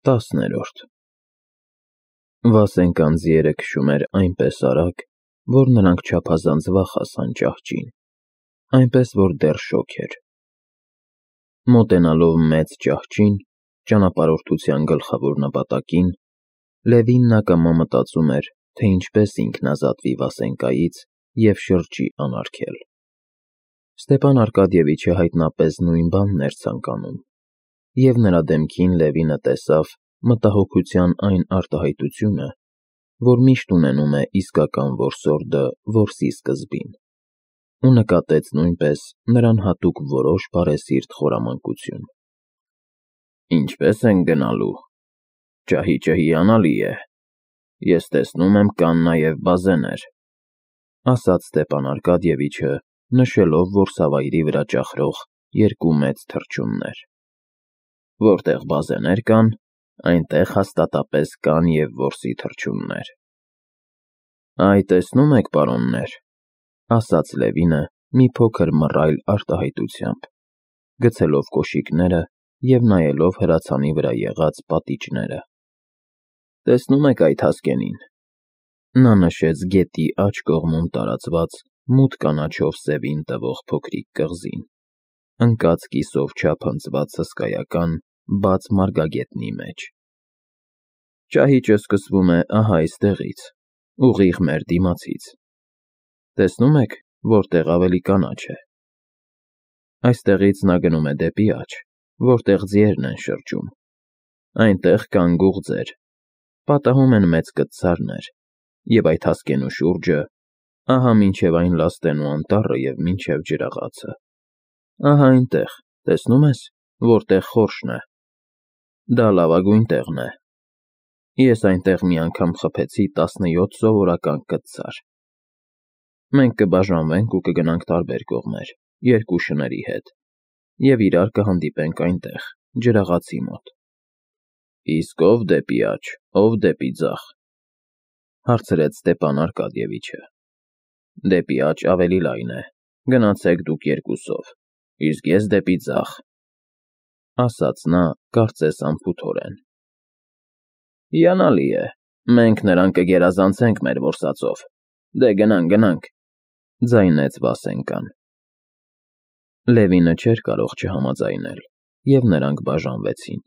10-րդ Վասենկան ձիերը քշում էր այնպես արագ, որ նրանք չափազանց վաղ հասան ճահճին, այնպես որ դեռ շոգ էր։ Մոտենալով մեծ ճահճին, ճանապարհորդության գլխավոր նպատակին, Լևինն ակամա մտածում էր, թե ինչպես ինքն ազատվի Վասենկայից և շրջի անարգել։ Ստեպան Արկադիևիչը հայտնապես նույն բանն էր ցանկանում, և նրա դեմքին Լևինը տեսավ մտահոգության այն արտահայտությունը, որ միշտ ունենում է իսկական որսորդը որսի սկզբին, ու նկատեց նույնպես նրան հատուկ որոշ բարեսիրտ խորամանկություն։ «Ինչպե՞ս ենք գնալու, ճահիճը հիանալի է, ես տեսնում եմ կան նաև բազեներ», ասաց Ստեպան Արկադիևիչը, նշելով որսավայրի վրա ճախրող երկու մեծ թռչուններ։ «Որտեղ բազեներ կան, այնտեղ հաստատապես կան և որսի թռչուններ»։ «Այ, տեսնում եք, պարոններ», ասաց Լևինը մի փոքր մռայլ արտահայտությամբ, գցելով կոշիկները և նայելով հրացանի վրա եղած պատիճները։ «Տեսնում եք այդ հասկենին»։ Նա նշեց գետի աջ կողմում տարածված մութ կանաչով սևին տվող փոքրիկ կղզին, ընկած կիսով չափ հնձված հսկայական բաց մարգագետնի մեջ։ «Ճահիճը սկսվում է ահա այստեղից, ուղիղ մեր դիմացից։ Տեսնում եք, որտեղ ավելի կանաչ է։ Այստեղից նա գնում է դեպի աջ, որտեղ ձիերն են շրջում։ Այնտեղ կան գուղձեր, պատահում են մեծ կտցարներ, և այդ հասկենու շուրջը, ահա մինչև այն լաստեն ու անտառը և մինչև ջրաղացը։ Ահա այնտեղ, տեսնում ես, որտեղ խորշն է։ Դա լավագույն տեղն է։ Ես այնտեղ մի անգամ խփեցի 17 սովորական կտցար։ Մենք կբաժանվենք ու կգնանք տարբեր կողմեր, երկու շների հետ, և իրար կհանդիպենք այնտեղ, ջրաղացի մոտ»։ «Իսկ ով դեպի աջ, ով դեպի ձախ», հարցրեց Ստեպան Արկադիևիչը։ «Դեպի աջ ավելի լայն է, գնացեք դուք երկուսով, իսկ ես դեպի ձախ», ասաց նա, կարծես անփութորեն։ «Հիանալի է, մենք նրան կգերազանցենք մեր որսածով, դե գնանք, ձայնեց Վասենկան։ Լևինը չէր կարող չհամաձայնել, և նրանք բաժանվեցին։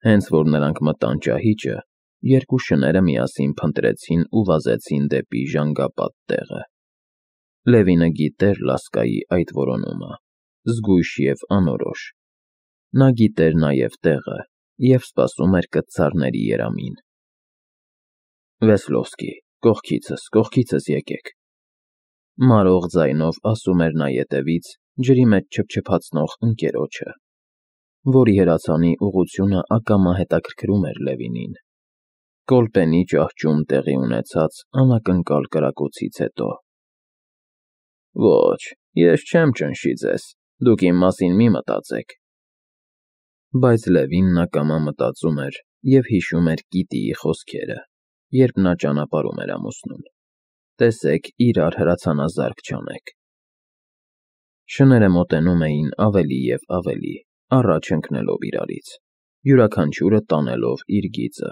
Հենց որ նրանք մտան ճահիճը, երկու շները միասին փնտրեցին ու վազեցին դեպի ժանգապատ տեղը։ Լևինը գիտեր Լասկայի այդ որոնումը, զգույշ և անորոշ։ Նա գիտեր նաև տեղը և սպասում էր կտցարների երամին։ «Վեսլովսկի, կողքիցս եկեք», մարող ձայնով ասում էր նա ետևից ջրի մեջ չփչփացնող ընկերոջը, որի հրացանի ուղղությունը ակամա հետաքրքրում էր Լևինին, Կոլպենի ճահճում տեղի ունեցած անակնկալ կրակոցից հետո։ «Ոչ, ես չեմ ճնշի ձեզ, դուք իմ մասին մի մտածեք»։ Բայց Լևինն ակամա մտածում էր և հիշում էր Կիտիի խոսքերը, երբ նա ճանապարհում էր ամուսնուն. «Տեսեք, իրար հրացանազարկ չանեք»։ Շները մոտենում էին ավելի և ավելի, առաջ ընկնելով իրարից, յուրաքանչյուրը տանելով իր գիծը։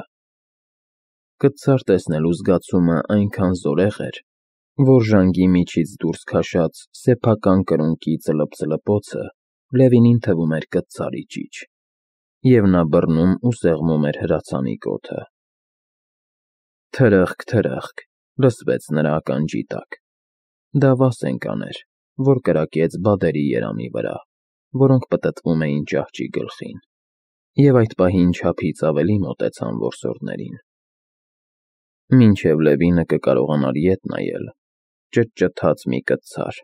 Կտցար տեսնելու զգացումը այնքան զորեղ էր, որ ժանգի միջից դուրս քաշած սեփական կրունկի ծլպծլպոցը Լևինին թվում էր կտցարի ճիչ, և նա բռնում ու սեղմում էր հրացանի կոթը։ Թրըխկ, թրըխկ լսվեց նրա ականջի տակ։ Դա Վասենկան էր, որ կրակեց բադերի երամի վրա, որոնք պտտվում էին ճահճի գլխին, և այդ պահին չափից ավելի մոտեցան որսորդներին։ Մինչև Լևինը կկարողանար ետ նայել, ճտճթաց մի կտցար,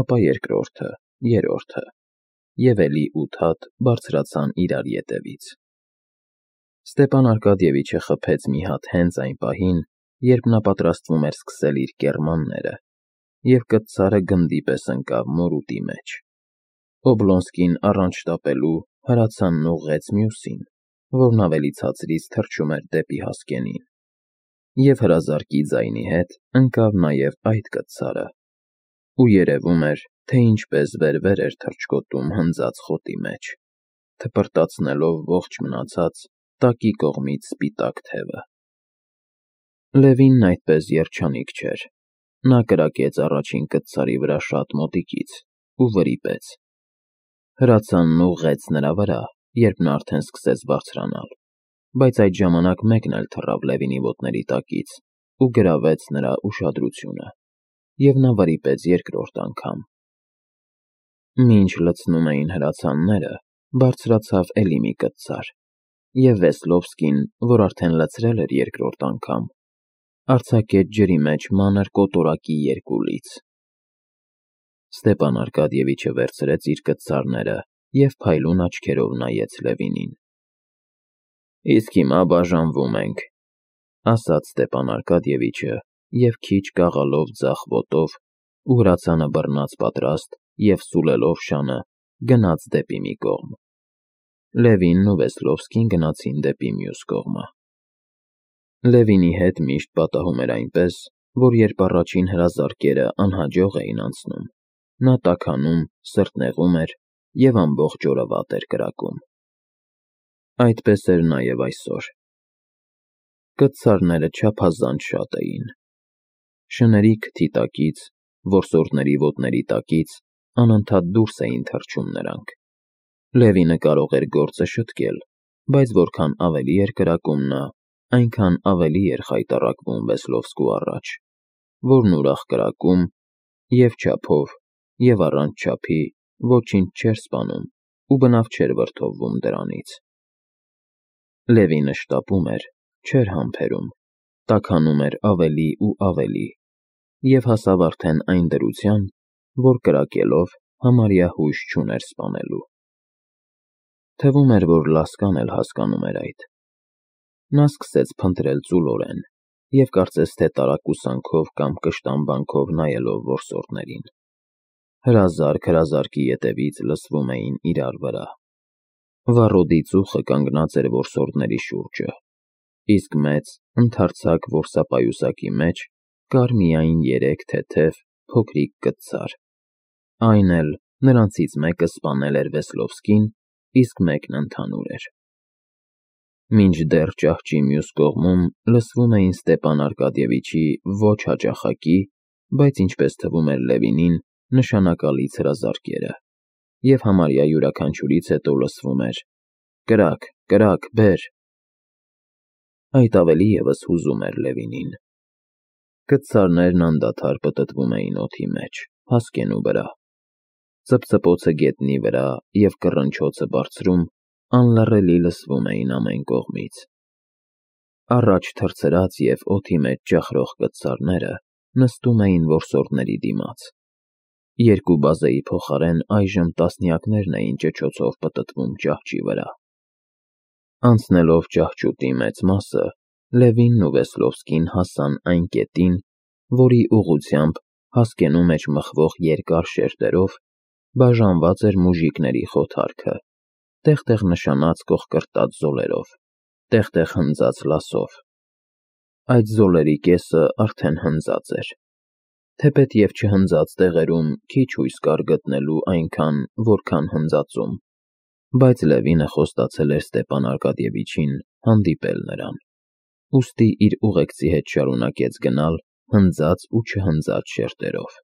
ապա երկրորդը, երրորդը, և էլի 8 հատ բարձրացան իրար ետևից։ Ստեպան Արկադիևիչը խփեց մի հատ հենց այն պահին, երբ նա պատրաստվում էր սկսել իր կեռմանները, և կտցարը գնդի պես ընկավ մորուտի մեջ։ Օբլոնսկին առանց շտապելու հրացանն ուղղեց մյուսին, որն ավելի ցածրից թռչում էր դեպի հասկենին, և հրազարկի ձայնի հետ ընկավ նաև այդ կտցարը, ու երևում էր, թե ինչպես վեր-վեր էր թռչկոտում հնձած խոտի մեջ, թպրտացնելով ողջ մնացած տակի կողմից սպիտակ թևը։ Լևինն այդպես երջանիկ չէր։ Նա կրակեց առաջին կտցարի վրա շատ մոտիկից ու վրիպեց։ Հրացանն ուղղեց նրա վրա, երբ նա արդեն սկսեց բարձրանալ, բայց այդ ժամանակ մեկն էլ թռավ Լևինի ոտների տակից ու գրավեց նրա ուշադրությունը, և նա վրիպեց երկրորդ անգամ։ Մինչ լցնում էին հրացանները, բարձրացավ էլի մի կտցար, և Վեսլովսկին, որ արդեն լցրել էր երկրորդ անգամ, արձակեց ջրի մեջ մանր կոտորակի երկու լից։ Ստեպան Արկադիևիչը վերցրեց իր կտցարները և փայլուն աչքերով նայեց Լևինին։ «Իսկ հիմա բաժանվում ենք», ասաց Ստեպան Արկադիևիչը և քիչ կաղալով ձախ ոտով ու հրացանը բռնած պատրաստ և սուլելով շանը գնաց դեպի մի կողմ։ Լևինն ու Վեսլովսկին գնացին դեպի մյուս կողմը։ Լևինի հետ միշտ պատահում էր այնպես, որ երբ առաջին հրազարկերը անհաջող էին անցնում, նա տաքանում, սրտնեղում էր և ամբողջ օրը վատ էր կրակում։ Այդպես էր նաև այսօր։ Կտցարները չափազանց շատ էին։ Շների քթի տակից, որսորդների ոտների տակից անընդհատ դուրս էին թռչում նրանք։ Լևինը կարող էր գործը շտկել, բայց որքան ավելի էր կրակում նա, այնքան ավելի էր խայտառակվում Վեսլովսկու առաջ, որն ուրախ կրակում և չափով, և առանց չափի ոչինչ չէր սպանում ու բնավ չէր վրդովվում դրանից։ Լևինը շտապում էր, չէր համբերում, տաքանում էր ավելի ու ավելի և հասավ արդեն այն դրության, որ կրակելով համարյա հույս չուներ սպանելու։ Թվում էր, որ Լասկան էլ հասկանում էր այդ։ Նա սկսեց փնտրել ծուլորեն և կարծես թե տարակուսանքով կամ կշտամբանքով նայելով որսորդներին։ Հրազարկ հրազարկի ետևից լսվում էին իրար վրա։ Վառոդի ծուխը կանգնած էր որսորդների շուրջը, իսկ մեծ, ընդարձակ որսապայուսակի մեջ կար միայն 3 թեթև, փոքրիկ կտցար։ Այն էլ նրանցից մեկը սպանել էր Վեսլովսկին, իսկ մեկն ընդհանուր էր։ Մինչդեռ ճահճի մյուս կողմում լսվում էին Ստեպան Արկադիևիչի ոչ հաճախակի, բայց ինչպես թվում էր Լևինին, նշանակալից հրազարկերը, և համարյա յուրաքանչյուրից հետո լսվում էր. «Կրակ, կրակ, բեր»։ Այդ ավելի ևս հուզում էր Լևինին։ Կտցարներն անդադար պտտվում էին օդի մեջ, հասկենու վրա։ Ծպծպոցը գետնի վրա և կռնչոցը բարձրում անլռելի լսվում էին ամեն կողմից։ Առաջ թռցրած և օդի մեջ ճախրող կտցարները նստում էին որսորդների դիմաց։ Երկու բազեի փոխարեն այժմ տասնյակներն էին ճչոցով պտտվում ճահճի վրա։ Անցնելով ճահճուտի մեծ մասը, Լևինն ու Վեսլովսկին հասան այն կետին, որի ուղղությամբ, հասկենու մեջ մխվող երկար շերտերով, բաժանված էր մուժիկների խոթարքը, տեղ-տեղ նշանած կոխկրտած զոլերով, տեղ-տեղ հնձած լասով։ Այդ զոլերի կեսը արդեն հնձած էր։ Թեպետ և չհնձած տեղերում քիչ հույս կար գտնելու այնքան, որքան հնձածում, բայց Լևինը խոստացել էր Ստեպան Արկադիևիչին հանդիպել նրան, ուստի իր ուղեկցի հետ շարունակեց գնալ հնձած ու չհնձած շերտերով։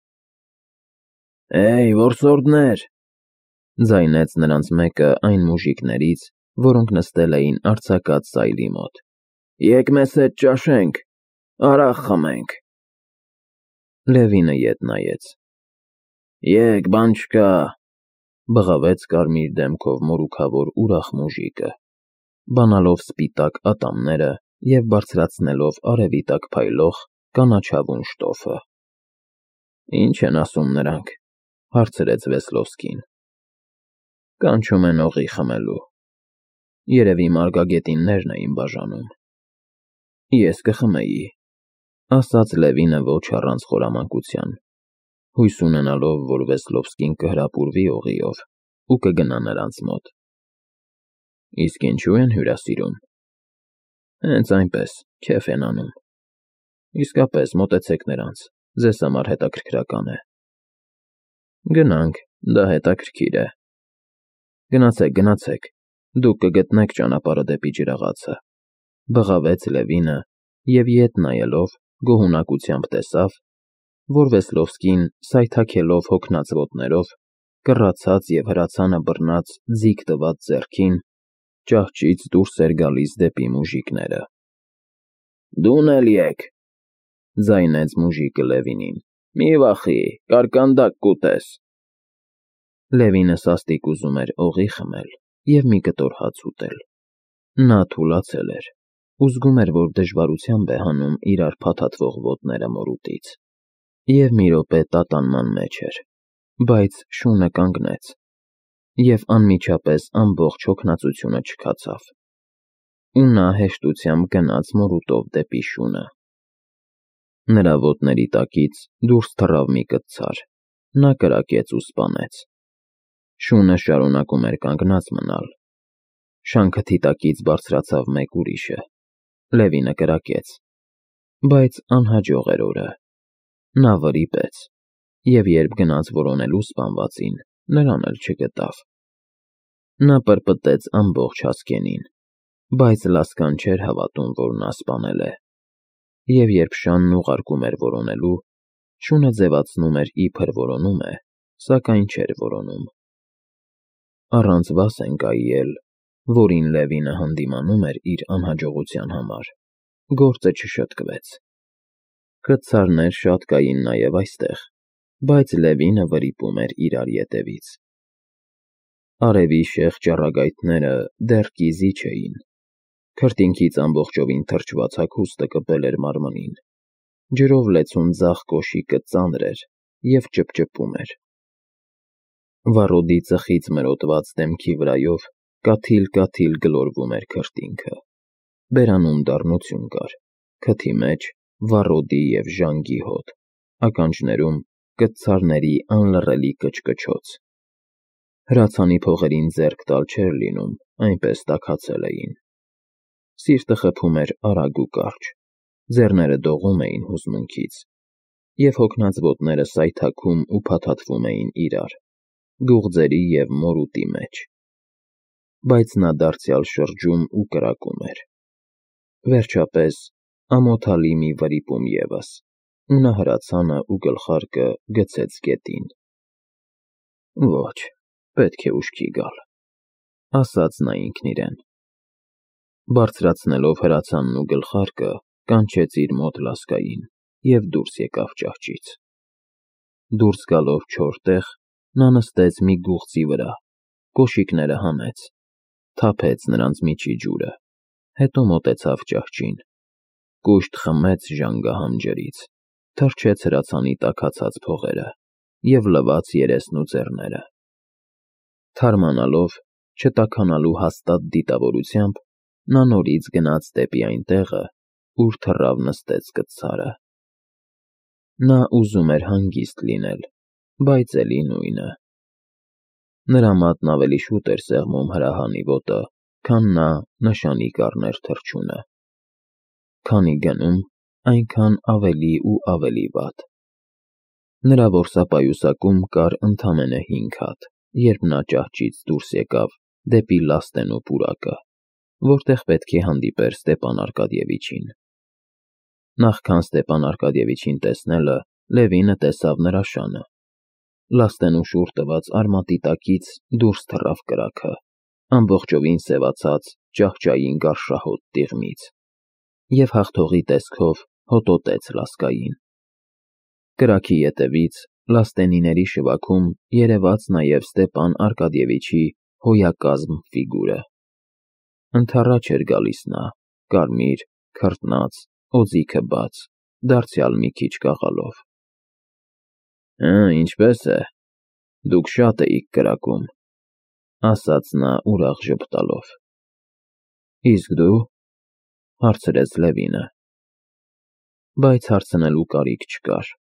«Հեյ, որսորդներ», ձայնեց նրանց մեկը այն մուժիկներից, որոնք նստել էին արձակած սայլի մոտ, «եկ մեզ հետ ճաշենք, արաղ խմենք»։ Լևինը ետ նայեց։ «Եկ, բան չկա», բղավեց կարմիր դեմքով մորուքավոր ուրախ մուժիկը, բանալով սպիտակ ատամները և բարձրացնելով արևի տակ փայլող կանաչավուն շտոֆը։ «Ինչ են ասում նրանք», հարցրեց Վեսլովսկին։ «Կանչում են օղի խմելու։ Երևի մարգագետիններն էին բաժանում»։ «Ես կխմեի», ասաց Լևինը ոչ առանց խորամանկության, հույս ունենալով, որ Վեսլովսկին կհրապուրվի օղիով ու կգնա նրանց մոտ։ «Իսկ ինչու են հյուրասիրում»։ «Հենց այնպես, քեֆ են անում»։ «Իսկապես, մոտեցեք նրանց, ձեզ համար հետաքրքրական է»։ «Գնանք, դա հետաքրքիր է»։ «Գնացեք, գնացեք, Դուք կգտնեք ճանապարհը դեպի ջրաղացը, բղավեց Լևինը և ետ նայելով գոհունակությամբ տեսավ, որ Վեսլովսկին սայթաքելով հոգնած ոտներով, կռացած և հրացանը բռնած ձիգ տված ձեռքին, ճահճից դուրս էր գալիս դեպի մուժիկները։ Դուն էլ եկ, ձայնեց մուժիկը Լևինին, մի վախի, կարկանդակ կուտես։ Լևինը սաստիկ ուզում էր օղի խմել և մի կտոր հաց ուտել։ Նա թուլացել էր ու զգում էր, որ դժվարությամբ է հանում իրար փաթաթվող ոտները մորուտից, և մի րոպե տատանման մեջ էր, բայց շունը կանգնեց, և անմիջապես ամբողջ հոգնածությունը չքացավ, ու նա հեշտությամբ գնաց մորուտով դեպի շունը։ Նրա ոտների տակից դուրս թռավ մի կտցար, նա կրակեց ու սպանեց։ Շունը շարունակում էր կանգնած մնալ։ Շանքթի տակից բարձրացավ մեկ ուրիշը։ Լևինը կրակեց, բայց անհաջող էր օրը։ Նա վրիպեց, և երբ գնաց որոնելու սպանվածին, նրան էլ չգտավ։ Նա պրպտեց ամբողջ հասկենին, բայց Լասկան չէր հավատում, որ նա սպանել է, և երբ շանն ուղարկում էր որոնելու, շունը ձևացնում էր, իբր որոնում է, սակայն չէր որոնում։ Առանց Վասենկայի էլ, որին Լևինը հանդիմանում էր իր անհաջողության համար, գործը չշտկվեց։ Կտցարներ շատ կային նաև այստեղ, բայց Լևինը վրիպում էր իրար ետևից։ Արևի շեղ ճառագայթները դեռ կիզի չէին։ Քրտինքից ամբողջովին թրջված հագուստը կպել էր մարմնին։ Ջրով լեցուն ձախ կոշիկը ծանր էր և ճպճպում էր։ Վառոդի ծխից մրոտված դեմքի վրայով կաթիլ-կաթիլ գլորվում էր քրտինքը։ Բերանում դառնություն կար, քթի մեջ վառոդի և ժանգի հոտ, ականջներում կտցարների անլռելի կչկչոց։ Հրացանի փողերին ձեռք տալ չէր լինում, այնպես տաքացել էին։ Սիրտը խփում էր արագ ու կարճ, ձեռները դողում էին հուզմունքից, և հոգնած ոտները սայթաքում ու փաթաթվում էին իրար, գուղձերի և մորուտի մեջ։ Բայց նա դարձյալ շրջում ու կրակում էր։ Վերջապես, ամոթալի մի վրիպում ևս, ու նա հրացանը ու գլխարկը գցեց գետին։ Ոչ, պետք է ուշքի գալ, ասաց նա ինքն իրեն։ Բարձրացնելով հրացանն ու գլխարկը, կանչեց իր մոտ Լասկային և դուրս եկավ ճահճից։ Դուրս գալով չոր տեղ, նա նստեց մի գուղծի վրա, կոշիկները հանեց, թափեց նրանց միջի ջուրը, հետո մոտեցավ ճահճին, կուշտ խմեց ժանգահամ ջրից, թռչեց հրացանի տաքացած փողերը և լվաց երեսն ու ձեռները։ Թարմանալով, չտաքանալու հաստատ դիտավորությամբ, նա նորից գնաց դեպի այն տեղը, ուր թռավ նստեց կտցարը։ Նա ուզում էր հանգիստ լինել, բայց էլի նույնը։ Նրա մատն ավելի շուտ էր սեղմում հրահանի ոտը, քան նա նշանի կառներ թռչունը։ Քանի գնում, այնքան ավելի ու ավելի վատ։ Նրա որսապայուսակում կար ընդամենը 5 հատ, երբ նա ճահճից դուրս եկավ դեպի Լաստենու պուրակը, որտեղ պետք է հանդիպեր Ստեպան Արկադիևիչին։ Նախքան Ստեպան Արկադիևիչին տեսնելը, Լևինը տեսավ նրա շանը։ Լաստենու շուռ տված արմատի տակից դուրս թռավ կրակը, ամբողջովին սևացած ճահճային գարշահոտ տիղմից, և հաղթողի տեսքով հոտոտեց Լասկային։ Կրակի ետևից լաստենիների շվաքում երևաց նաև Ստեպան Արկադիևիչի հոյակազմ ֆիգուրը։ Ընդառաջ էր գալիս նա, կարմիր, քրտնած, օձիքը բաց, դարձյալ մի քիչ կաղալով։ Ինչպե՞ս է, դուք շատ էիք կրակում, ասաց նա ուրախ ժպտալով։ Իսկ դու, հարցրեց Լևինը։ Բայց հարցնելու կարիք չկար,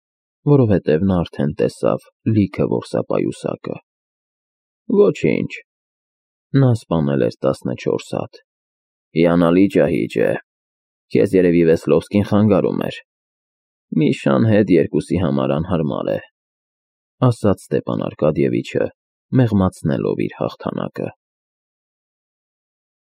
որովհետև նա արդեն տեսավ լիքը որսապայուսակը։ Ոչինչ, նա սպանել էր 14 հատ։ Հիանալի ճահիճ է, քեզ երևի Վեսլովսկին խանգարում էր։ Մի շան հետ երկուսի համար անհարմար է, ասաց Ստեպան Արկադիևիչը, մեղմացնելով իր հաղթանակը։